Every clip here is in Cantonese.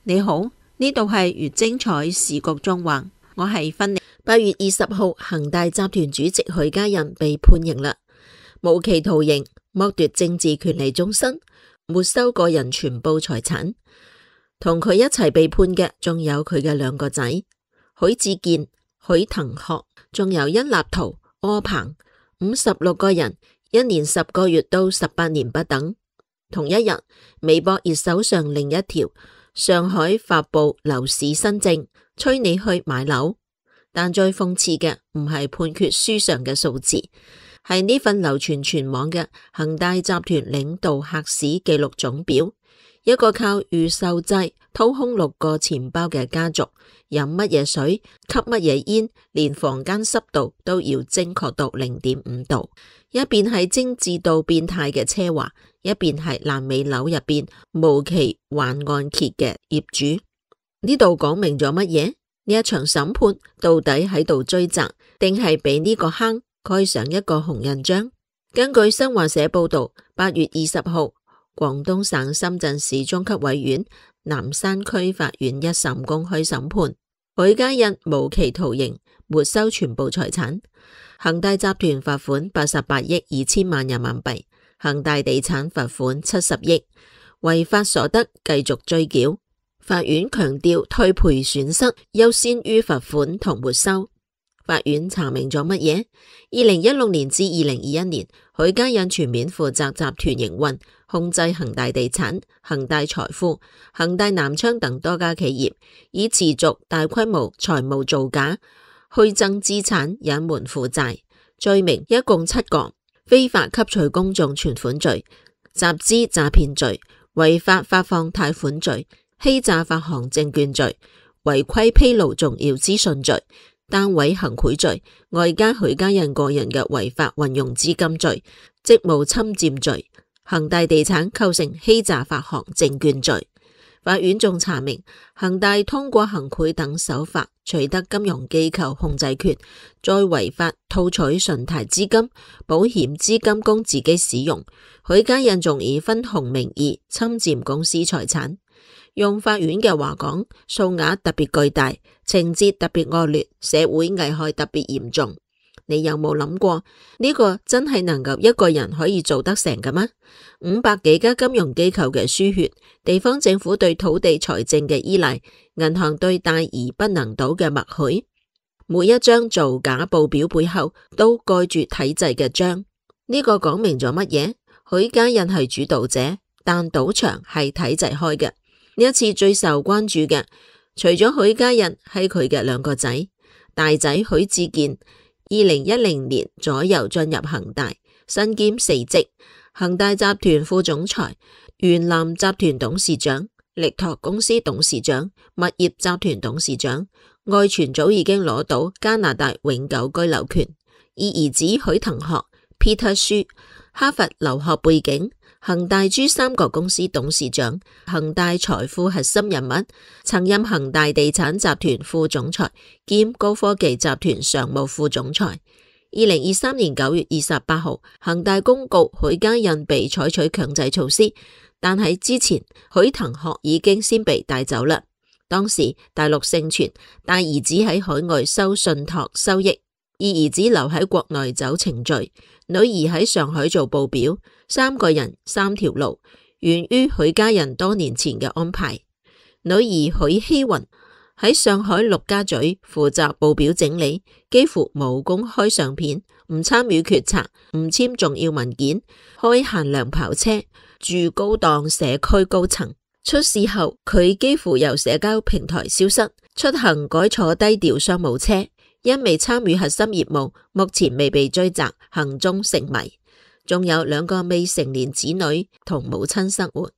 你好，呢度係越精彩時局縱橫，我係芬妮。8月20號，恒大集團主席許家印被判刑啦，無期徒刑，剝奪政治權利終身，沒收個人全部財產。同佢一齊被判嘅仲有佢嘅兩個仔許志健、許騰學，仲有殷立圖、柯鵬，56個人，1年10個月到18年不等。同一日，微博熱搜上另一條上海發布樓市新政，催你去買樓。但最諷刺嘅唔係判決書上嘅數字，係呢份流傳全網嘅恒大集團領導客史記錄總表。一個靠預售制掏空6個錢包嘅家族，飲乜嘢水，吸乜嘢煙，連房間濕度都要精確到0.5度。一邊係精緻到變態嘅奢華，一邊係爛尾樓入邊無期還按揭嘅業主。呢度講明咗乜嘢？呢一場審判到底喺度追責，定係俾呢個坑蓋上一個紅印章？根據新華社報道，8月20號，廣東省深圳市中級委院南山區法院一審公開審判，許家印無期徒刑，沒收全部財產。恒大集團罰款88億2千萬人民幣，恒大地產罰款70億，違法所得繼續追繳。法院強調退賠損失優先於罰款同沒收。法院查明咗乜嘢？2016年至2021年，許家印全面負責集團營運，控制恒大地產、恒大財富、恒大南昌等多家企業，以持續大規模財務造假、虛增資產、隱瞞負債，罪名一共7個：非法吸取公眾存款罪、集資詐騙罪、違法發放貸款罪、欺詐發行證券罪、違規披露重要資訊罪、單位行賄罪，外加許家印個人嘅違法運用資金罪、職務侵佔罪。恒大地產構成欺詐發行證券罪。法院仲查明，恒大通過行賄等手法取得金融機構控制權，再違法套取信貸資金、保險資金供自己使用。許家印仲以分紅名義侵佔公司財產。用法院嘅話講，數額特別巨大，情節特別惡劣，社會危害特別嚴重。你有冇諗過呢個真係能夠一個人可以做得成嘅嗎？500幾家金融機構嘅輸血，地方政府對土地財政嘅依賴，銀行對大而不能倒嘅默許，每一張造假報表背後都蓋住體制嘅章。呢個講明咗乜嘢？許家印係主導者，但賭場係體制開嘅。呢一次最受關注嘅，除咗許家印，係佢嘅兩個仔。大仔許志健2010年左右進入恒大，身兼4職：恒大集團副總裁、元南集團董事長、力拓公司董事長、物業集團董事長。外傳早已經攞到加拿大永久居留權。而兒子許騰學 Peter Xu，哈佛留學背景，恒大珠三角公司董事長，恒大財富核心人物，曾任恒大地產集團副總裁兼高科技集團常務副總裁。2023年9月28號，恒大公告許家印被採取強制措施，但喺之前，許騰學已經先被帶走啦。當時大陸盛傳大兒子喺海外收信託收益，二兒子留喺國內走程序，女兒喺上海做報表，3個人3條路，源於許家印多年前嘅安排。女兒許希雲喺上海陸家嘴負責報表整理，幾乎冇公開相片，唔參與決策，唔簽重要文件，開限量跑車，住高檔社區高層。出事後，佢幾乎由社交平台消失，出行改坐低調商務車。因未參與核心業務，目前未被追責，行蹤成謎。仲有2個未成年子女同母親生活。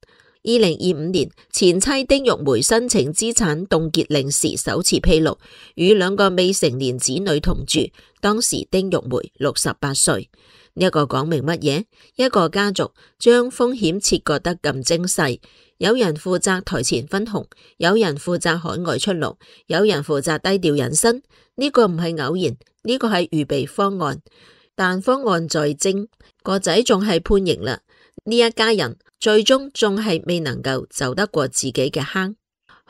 2025年，前妻丁玉梅申請資產凍結令時首次披露，與2個未成年子女同住，當時丁玉梅68歲。呢個講明乜嘢？一個家族將風險切割得咁精細，有人負責台前分紅，有人負責海外出路，有人負責低調隱身。呢個唔係偶然，呢個係預備方案。但方案在精，個仔仲係判刑啦。呢一家人最終仲係未能夠走得過自己嘅坑。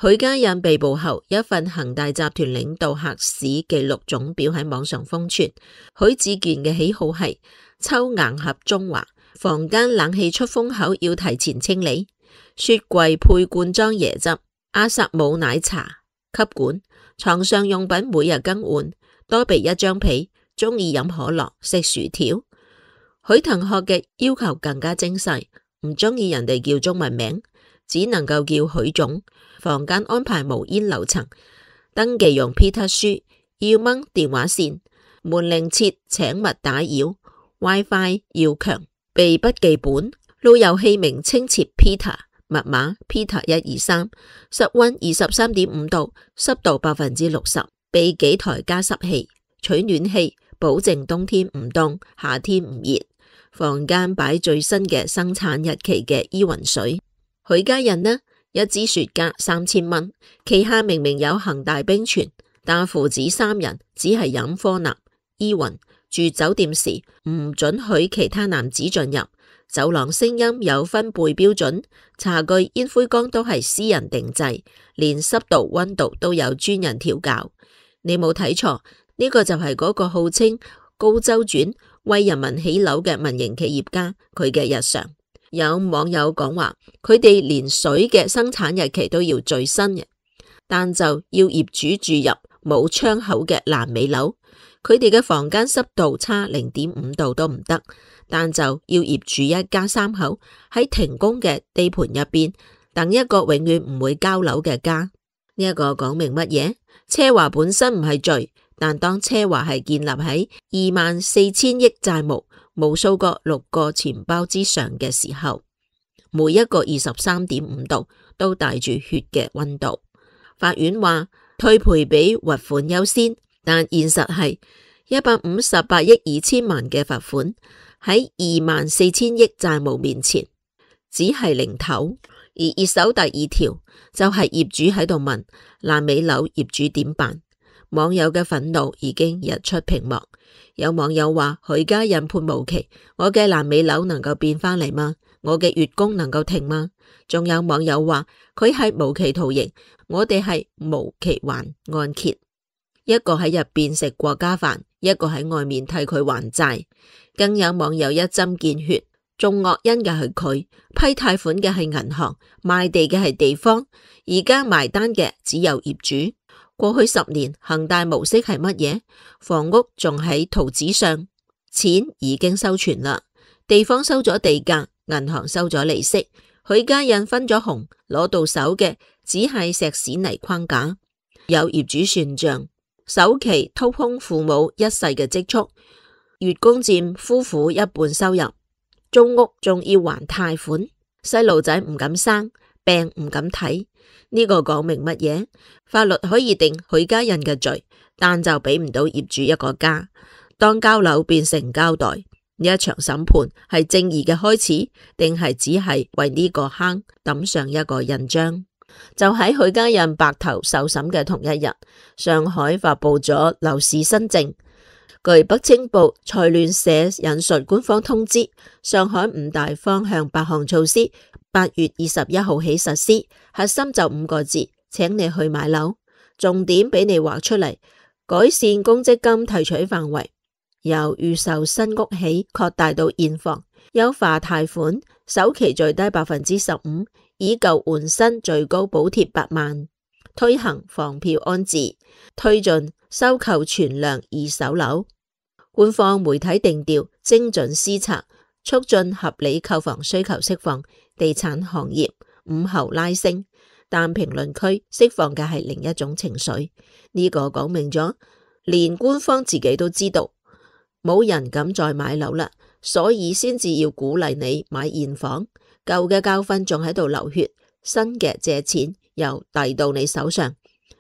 許家印被捕後，一份恒大集團領導客史記錄總表喺網上瘋傳。許志健嘅喜好係抽硬盒中華，房間冷氣出風口要提前清理，雪櫃配罐裝椰汁，阿薩姆奶茶吸管，床上用品每日更換，多備一張被，鍾意飲可樂食薯條。許騰學嘅要求更加精細，唔鍾意人哋叫中文名，只能夠叫許總。房間安排無煙樓層，登記用 Peter 書，要掹電話線，門鈴設請勿打擾， WiFi 要強，備筆記本，路由器名稱設 Peter， 密碼 Peter123， 室溫23.5度，濕度60%，備幾台加濕器，取暖器，保證冬天唔凍，夏天唔熱。房間擺最新嘅生產日期嘅依雲水。許家印呢，一支雪茄3000蚊，旗下明明有恒大冰泉，但父子三人只係飲科納、依雲。住酒店時唔准許其他男子進入，走廊聲音有分貝標準，茶具煙灰缸都係私人定制，連濕度溫度都有專人調校。你冇睇錯，呢個就係嗰個號稱高周轉為人民起樓嘅民營企業家，佢嘅日常。有網友講話，佢哋連水嘅生產日期都要最新嘅，但就要業主住入冇窗口嘅爛尾樓，佢哋嘅房間濕度差0.5度都唔得，但就要業主一家三口喺停工嘅地盤入邊等一個永遠唔會交樓嘅家。呢一個講明乜嘢？奢華本身唔係罪，但當奢華係建立喺24000億債務、無數個6個錢包之上嘅時候，每一個23.5度都帶住血嘅溫度。法院話退賠比罰款優先，但現實係158億2千萬嘅罰款喺24000億債務面前只係零頭。而熱搜第2條就係業主喺度問爛尾樓業主點辦，網友嘅憤怒已經日出屏幕。有網友話許家印判無期，我嘅爛尾樓能夠變返嚟嗎？我嘅月供能夠停嗎？仲有網友話佢係無期徒刑，我哋係無期還按揭。一個喺入邊食過家飯，一個喺外面替佢還債。更有網友一針見血，種惡因嘅係佢，批貸款嘅係銀行，賣地嘅係地方，而家埋單嘅只有業主。過去10年恒大模式係乜嘢？房屋仲喺圖紙上，錢已經收存啦，地方收咗地價，銀行收咗利息，許家印分咗紅，攞到手嘅只係石屎泥框架。有業主算賬，首期掏空父母一世嘅積蓄，月供佔夫婦一半收入，租屋仲要還貸款，細路仔唔敢生，病唔敢睇。呢個講明乜嘢？法律可以定許家印嘅罪，但就俾唔到業主一個家。當交樓變成膠袋，呢一場審判係正義嘅開始，定係只係為呢個坑抌上一個印章？就喺許家印白頭受審嘅同一日，上海發佈咗樓市新政。據北青報財聯社引述官方通知，上海5大方向8項措施8月21號起實施，核心就5個字，請你去買樓。重點俾你畫出嚟，改善公積金提取範圍，由預售新屋起擴大到現房，優化貸款，首期最低15%，以舊換新，最高補貼8萬，推行房票安置，推進收購存量二手樓。官方媒體定調精準施策，促進合理購房需求釋放，地產行業午後拉升。但評論區釋放嘅係另一種情緒，呢個講明咗，連官方自己都知道冇人敢再買樓啦，所以先至要鼓勵你買現房。舊嘅教訓仲喺度流血，新嘅借錢又遞到你手上。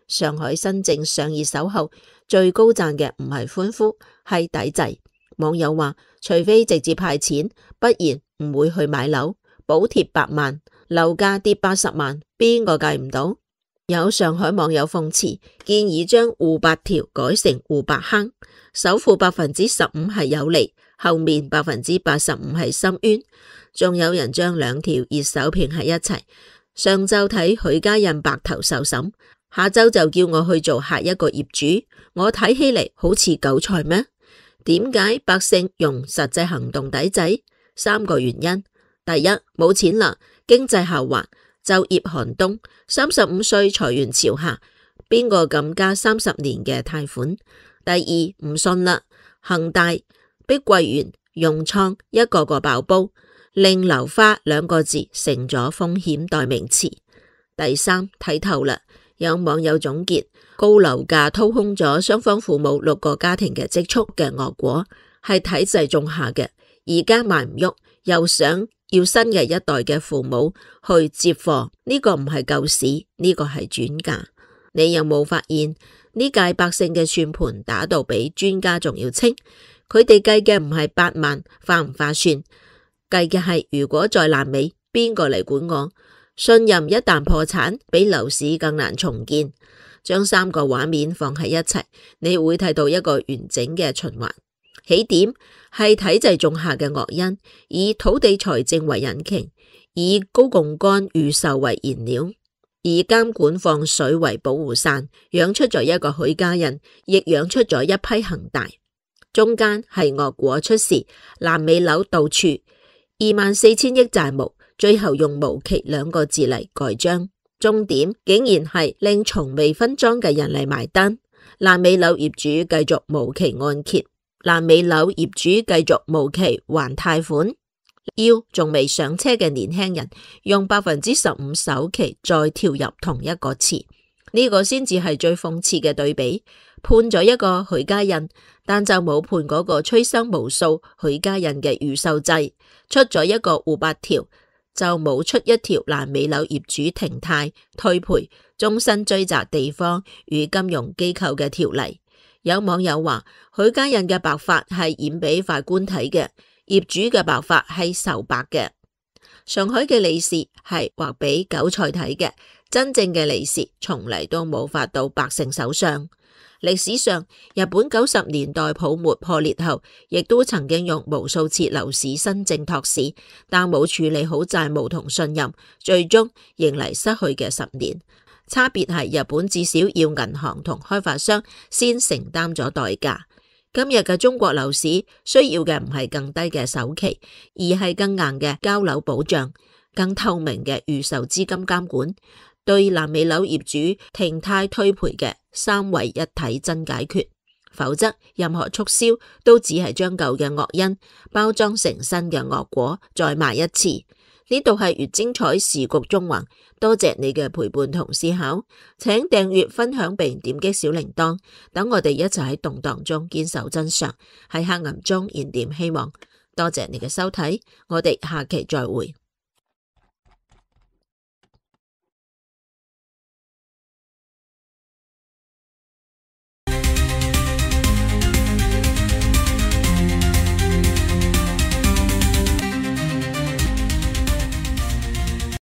上海新政上熱搜後，最高讚嘅唔係歡呼，係抵制。網友話，除非直接派錢，不然唔會去買樓。補貼8萬，樓價跌80萬，邊個計唔到？有上海網友諷刺，建議將戶8條改成戶8坑，首付15%係有利，後面85%係深淵。仲有人將兩條熱搜拼喺一齊，上晝睇許家印白頭受審，下晝就叫我去做下一個業主，我睇起嚟好似韭菜咩？點解百姓用實際行動抵制？3個原因。第一，冇錢啦，經濟下滑，就業寒冬，35歲裁員潮下，邊個敢加30年嘅貸款？第二，唔信啦，恒大、碧桂園、融創一個個爆煲，令樓花2個字成咗風險代名詞。第三，睇透啦，有網友總結，高樓價掏空咗雙方父母6個家庭嘅積蓄嘅惡果，係體制種下嘅，而家賣唔喐，又想要新嘅一代嘅父母去接貨，呢個唔係救市，呢個係轉嫁。你有冇發現呢屆百姓嘅算盤打到比專家仲要清？佢哋計嘅唔係8萬划唔划算，計嘅係如果再爛尾，邊個嚟管我？信任一旦破產，比樓市更難重建。將3個畫面放喺一齊，你會睇到一個完整嘅循環。起點係體制種下嘅惡因，以土地財政為引擎，以高槓桿預售為燃料，以監管放水為保護傘，養出咗一個許家印，亦養出咗一批恒大。中間係惡果出事，爛尾樓到處，24,000億債務，最後用無期2個字嚟蓋章。終點竟然係令從未分贓嘅人嚟埋單。爛尾樓業主繼續無期按揭，爛尾樓業主繼續無期還貸款，要仲未上車嘅年輕人用15%首期再跳入同一個池，呢個先至係最諷刺嘅對比。判咗一個許家印，但就冇判嗰個催生無數許家印嘅預售制。出咗一個護八條，就冇出一條爛尾樓業主停貸、退賠、終身追責地方與金融機構嘅條例。有網友話，許家印嘅白髮係演俾法官睇嘅，業主嘅白髮係愁白嘅。上海嘅利是係畫俾韭菜睇嘅，真正嘅利是從嚟都冇發到百姓手上。歷史上，日本90年代泡沫破裂後，亦都曾經用無數次樓市新政托市，但冇處理好債務同信任，最終迎嚟失去嘅10年。差別係日本至少要銀行同開發商先承擔咗代價。今日嘅中國樓市需要嘅唔係更低嘅首期，而係更硬嘅交樓保障，更透明嘅預售資金監管，對爛尾樓業主停貸退賠嘅3位一體真解決。否則任何促銷都只係將舊嘅惡因包裝成新嘅惡果再賣一次。呢度係越精彩時局縱橫，多謝你嘅陪伴同思考，請訂閱分享並點擊小鈴鐺，等我哋一齊喺動盪中堅守真相，喺黑暗中燃點希望。多謝你嘅收睇，我哋下期再會。